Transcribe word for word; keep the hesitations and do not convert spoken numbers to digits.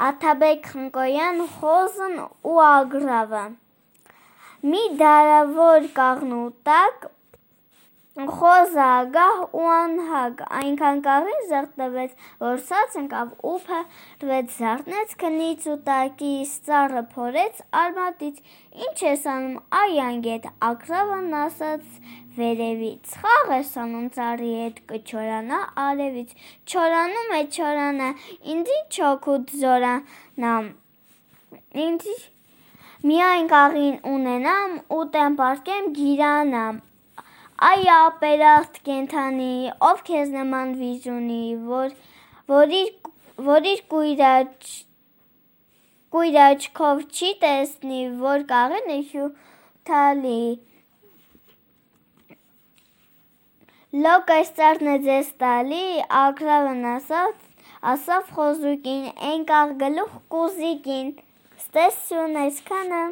Աթաբեկ Խնկոյան խոզն ու ագռավը։ Մի դարավոր կաղնու տակ խոզը ագահ ու անհագ այնքան կաղին զեղտվեց, որ ցած ընկավ ու փրվեց, զարթնեց քնից ու տակից ծառը փորեց արմատից։ Ինչ ես անում, այ անգետ, ագռավն ասաց վերևից, խաղ ես անում ծառի հետ, կչորանա արևից։ Չորանում է, չորանա, ինձ ինչ օգուտ զորանամ, ինձ միայն կաղին ունենամ, ուտեմ, պառկեմ, գիրանամ։ Այ ապերախտ կենդանի, ով քեզ նման վիճ ունի, որ իր կույր աչքով չի տեսնի, որ կաղին է հյութալի։ Լոկ այս ծառն է ձեզ տալի, ագռավն ասավ խոզուկին, էն կաղ գլուխ կուզիկին։ Ստեսյուն այսքանը։